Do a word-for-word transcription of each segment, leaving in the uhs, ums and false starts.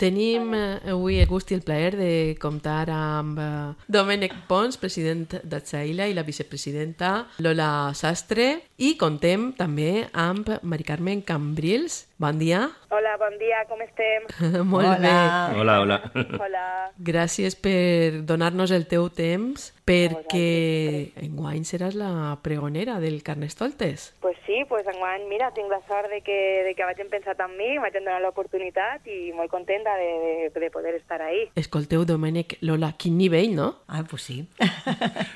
Tenim avui el gust i el plaer de comptar amb Domènec Pons, president d'Atzaila, i la vicepresidenta Lola Sastre, i contem també amb Mari Carmen Cambrils. Bon dia. Hola, bon dia, com estem? Molt hola. bé. Hola, hola. Hola. Gràcies per donar-nos el teu temps, perquè enguany seràs la pregonera del Carnestoltes. Pues sí, pues enguany, mira, tinc la sort de que, de que vagin pensat en mi, m'hagin donat l'oportunitat i molt contenta de, de, de poder estar ahí. Escolteu, Domènec, Lola, quin nivell, no? Ah, pues sí.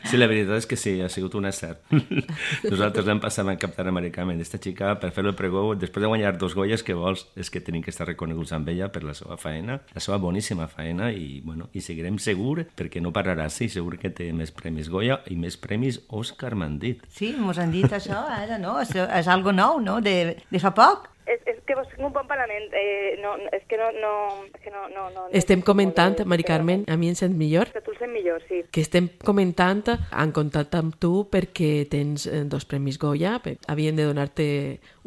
Sí, la veritat és que sí, ha sigut un acert. Nosaltres vam passar a captar a Mari Carmen, aquesta xica, per fer el pregó, després de guanyar dos Goyes, que vols, és que tenim que estar reconeguts amb ella per la seva feina, la seva boníssima feina, i, bueno, i seguirem segur, perquè no pararà, sí, segur que té més premis Goya i més premis Òscar, m'han dit. Sí, mos han dit això, ara, no? És, és algo nou, no?, de, de fa poc. És, és que vos tinc un bon parlament, eh, no, és que no... no, és que no, no, no estem no, comentant, no, Mari Carmen, a mi em sent millor? Que tu el sent millor, sí. Que estem comentant, han contactat amb tu perquè tens dos premis Goya, havien de donar-te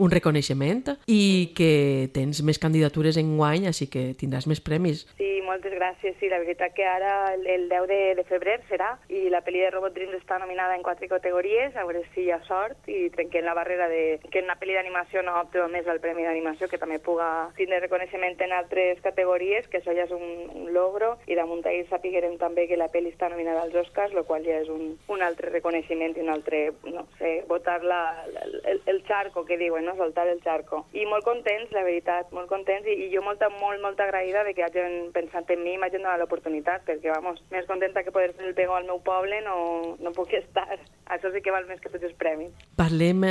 un reconeixement, i que tens més candidatures en guany, així que tindràs més premis. Sí, moltes gràcies. Sí, la veritat que ara el, el deu de, de febrer serà, i la pel·li de Robot Dreams està nominada en quatre categories, a veure si hi ha sort i trenquem la barrera de que una pel·li d'animació no opti només al premi d'animació, que també puga tindre reconeixement en altres categories, que això ja és un, un logro, i damunt ahir sapiguerem també que la pel·li està nominada als Oscars, el qual ja és un, un altre reconeixement i un altre, no sé, botar la, el, el charco, que diuen, no? Soltar el charco. I molt contents, la veritat, molt contents, i, i jo molta, molt, molt agraïda de que hagin pensat en mi i m'hagin donat l'oportunitat, perquè, vamos, més contenta que poder fer el pregó al meu poble no, no puc estar. Això sí que val més que tots els premis. Parlem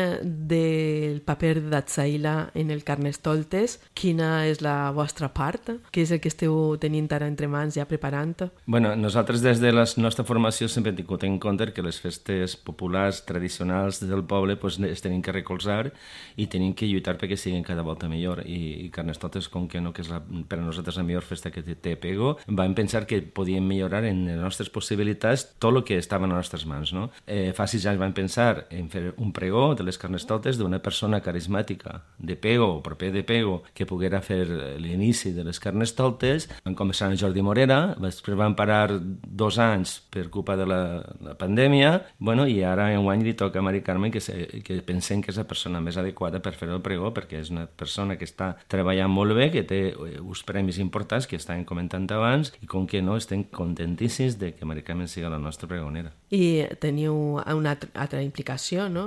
del paper d'Atzaila en el Carnestoltes. Quina és la vostra part? Què és el que esteu tenint ara entre mans ja preparant? Bueno, nosaltres des de la nostra formació sempre hem tingut en compte que les festes populars tradicionals del poble pues, es tenim que recolzar i tenim que lluitar perquè siguin cada volta millor. I, i Carnestoltes, com que no, que és la, per a nosaltres la millor festa que té Pego, vam pensar que podíem millorar en les nostres possibilitats tot el que estava a les nostres mans. No? Eh, fa sis anys vam pensar en fer un pregó de les Carnestoltes d'una persona carismàtica de Pego, o proper de Pego, que poguera fer l'inici de les Carnestoltes. Vam començar amb Jordi Morera, després van parar dos anys per culpa de la, la pandèmia, bueno, i ara enguany li toca a Mari Carmen que, se, que pensem que és la persona més adequada per fer el pregó, perquè és una persona que està treballant molt bé, que té uns premis importants que estàvem comentant abans, i com que no, estem contentíssims de que Mari Carmen sigui la nostra pregonera. I teniu una altra implicació, no?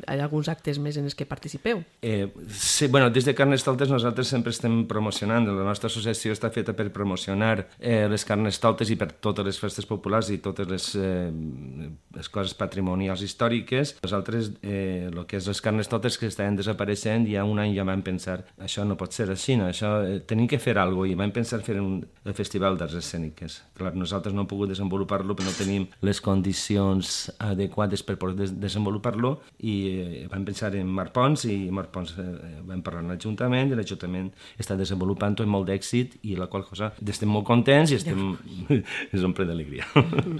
Hi ha alguns actes més en els que participeu? Eh, sí, bueno, des de Carnestoltes nosaltres sempre estem promocionant, la nostra associació està feta per promocionar eh, les Carnestoltes i per totes les festes populars i totes les, eh, les coses patrimonials històriques. Nosaltres, eh, el que és les Carnestoltes que estaven desapareixent, ja un any ja vam pensar, això no pot ser així, no? Això, eh, tenim que fer alguna cosa, i vam pensar fer un, el Festival d'Arts Escèniques. Clar, nosaltres no hem pogut desenvolupar-lo perquè no tenim les condicions adequades per poder des desenvolupar-lo, i eh, vam pensar en Marc Pons, i Marc Pons eh, vam parlar amb l'Ajuntament, i l'Ajuntament està desenvolupant-ho amb molt d'èxit, i la qual cosa estem molt contents i estem... ens omple d'alegria.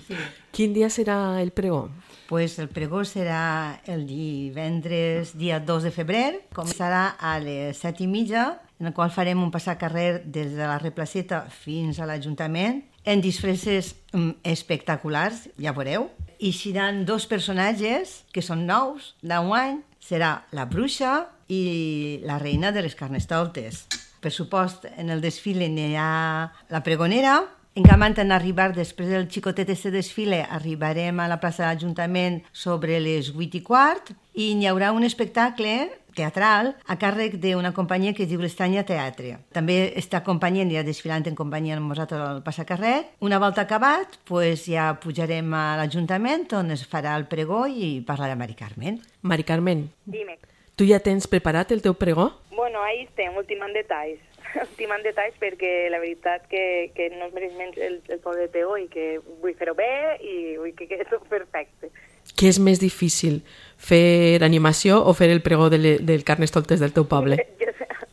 Sí. Quin dia serà el pregó? Pues el pregó serà el divendres, dia dos de febrer, començarà a les set i mitja, en el qual farem un passacarrer des de la Replaceta fins a l'Ajuntament, en disfresses um, espectaculars, ja veureu. I seran dos personatges que són nous d'enguany, serà la bruixa i la reina de les Carnestoltes. Per supost, en el desfile n'hi ha la pregonera. Encamant en arribar, després del xicotet este desfile, arribarem a la plaça de l'Ajuntament sobre les vuit i quart, i hi haurà un espectacle teatral a càrrec d'una companyia que es diu l'Estanya Teatre. També està acompanyant, ja desfilant en companyia amb nosaltres al passacarrer. Una volta acabat, pues ja pujarem a l'Ajuntament, on es farà el pregó i parlarà Mari Carmen. Mari Carmen, Dime. tu ja tens preparat el teu pregó? Bueno, ahí estem, ultimant detalls. Ultimant detalls perquè la veritat que, que no es mereix menys el, el poble de Pego i que vull fer-ho bé i vull que quedi tot perfecte. Què és més difícil, fer animació o fer el pregó de le, del Carnestoltes del teu poble?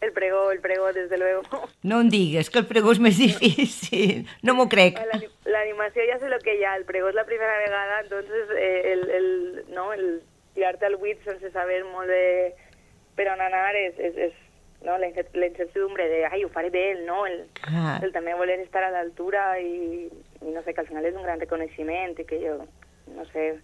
El pregó, el pregó, desde luego. No em digues que el pregó és més difícil, no m'ho crec. L'animació ja sé lo que hi ha, el pregó és la primera vegada, entonces eh, el, el, no, el tirarte al buit sense saber molt de per on anar és, és, és no? la, incer- la incertidumbre de, ai, ho faré bé, el no, el, Ah. el també voler estar a l'altura i, i no sé, que al final és un gran reconeixement i que jo, no sé,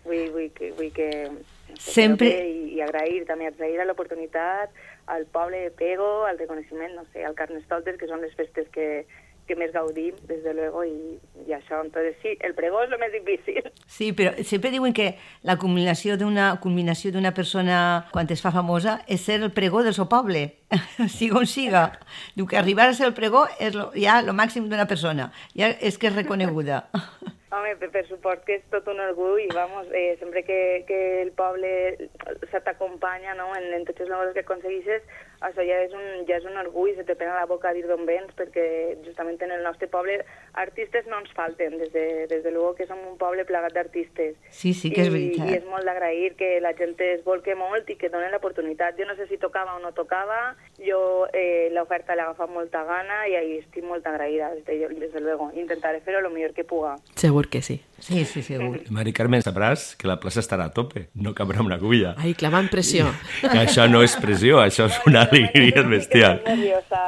vull, vull que... Vull que no sé, Sempre... fer-ho bé i, i agrair, també agrair a l'oportunitat, al poble de Pego, al reconeixement, no sé, al Carnestoltes, que són les festes que, que més gaudim, des de luego, i, i això. Entonces, sí, el pregó és el més difícil. Sí, però sempre diuen que la culminació d'una culminació d'una persona quan es fa famosa és ser el pregó del seu poble, siga on siga. Diu que arribar a ser el pregó és lo, ja el màxim d'una persona, ja és que és reconeguda. Home, per, per suport que és tot un orgull, vamos, eh, sempre que, que el poble se t'acompanya, no?, en, en totes les coses que aconseguixes, això ja és un, ja és un orgull, se te pena la boca a dir d'on vens, perquè justament en el nostre poble artistes no ens falten, des de, des de luego que som un poble plagat d'artistes. Sí, sí que és I, veritat. I és molt d'agrair que la gent es volque molt i que donen l'oportunitat. Jo no sé si tocava o no tocava, jo eh, l'oferta l'he agafat molta gana i ahí estic molt agraïda, des de, des de luego. Intentaré fer-ho el millor que puga. Segur que sí. Sí, sí, segur. Mari Carmen, sabràs que la plaça estarà a tope, no cabrà una agulla. Ai, clavant pressió. Que això no és pressió, això és una alegria bestial. Estic nerviosa.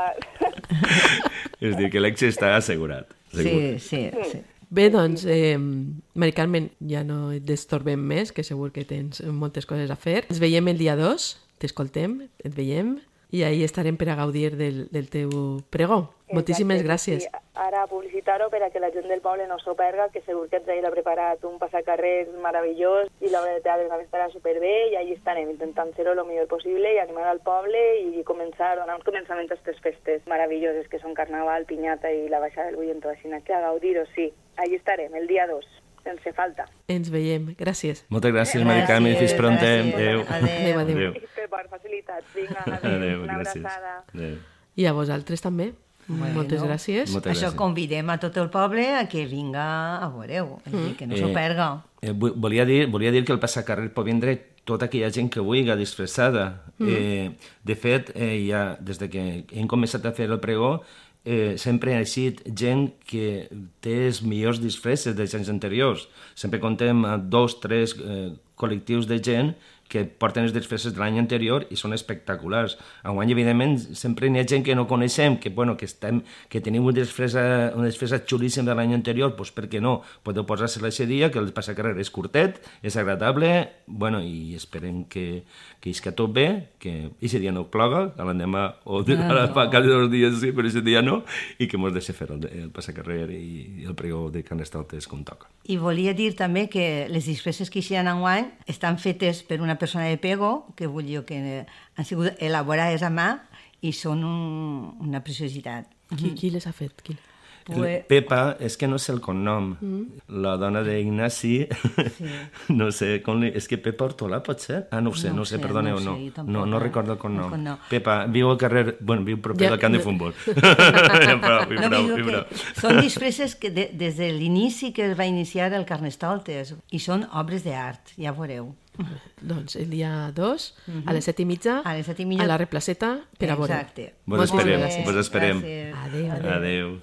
És a dir, que l'èxit està assegurat. Sí, sí, sí. Bé, doncs, eh, Mari Carmen, ja no et destorbem més, que segur que tens moltes coses a fer. Ens veiem el dia dos, t'escoltem, et veiem, i ahí estarem per a gaudir del, del teu pregó. Moltíssimes Exacte, gràcies. Sí. Ara publicitar-ho per a que la gent del poble no s'ho perga, que segur que ens ha preparat un passacarrers meravellós i l'obra de teatre també estarà superbé i allà estarem intentant fer-ho el millor possible i animar al poble i començar, donar uns començaments a aquestes festes meravelloses que són Carnaval, Pinyata i la Baixada del Bullentó, així que a gaudir-ho, sí. Allà estarem, el dia dos, sense falta. Ens veiem. Gràcies. Moltes gràcies, Mari Carmen, fins prontem. Gràcies. Adéu. Adéu, adéu. Per part, facilitats. Vinga, adéu. Adéu, Una gràcies. abraçada. Adéu. I a vosaltres també. Bueno, Moltes gràcies. Moltes Això gràcies. convidem a tot el poble a que vinga a veure-ho, mm. que no s'ho Eh, perga. Eh, vu- volia, dir, volia dir que el passacarrer pot vindre tota aquella gent que vulgui disfressada. Mm. Eh, de fet, eh, ja, des de que hem començat a fer el pregó, eh, sempre ha eixit gent que té els millors disfresses dels anys anteriors. Sempre contem amb dos, tres eh, col·lectius de gent que porten els disfresses de l'any anterior i són espectaculars. Enguany, evidentment, sempre n'hi ha gent que no coneixem, que, bueno, que, estem, que tenim una disfressa, una disfressa xulíssima de l'any anterior, doncs per què no? Podeu posar-se-la aquest dia, que el passacarrer és curtet, és agradable, bueno, i esperem que, que isca tot bé, que aquest dia no ploga, a l'endemà o de, Ah, ara no. fa cada dos dies sí, però aquest dia no, i que mos deixi fer el, el passacarrer i, i el pregó de Carnestoltes com toca. I volia dir també que les disfresses que hi ha enguany estan fetes per una persona de Pego, que vull dir que han sigut elaborades a mà i són un, una preciositat. Qui, qui les ha fet? Qui? Pues... Pepa, és que no sé el cognom. Mm. La dona d'Ignasi, Sí. no sé, com li... és que Pepa Hortolà pot ser? Ah, no ho sé, No no, ho sé, sé, perdoneu, no no. ho sé, jo tampoc, no, no eh? recordo el cognom. El cognom. Pepa, viu al carrer, bueno, viu proper Ja, del camp de no- futbol. prou, No, prou, digo prou. que són disfresses que de, des de l'inici que es va iniciar el Carnestoltes i són obres d'art, ja veureu. Doncs el dia dos, a les set i mitja, A les set i mitja. a la replaceta, per a veure. Exacte. Vos Moltes esperem, gràcies. vos esperem. Gràcies. Adéu, adéu. Adéu.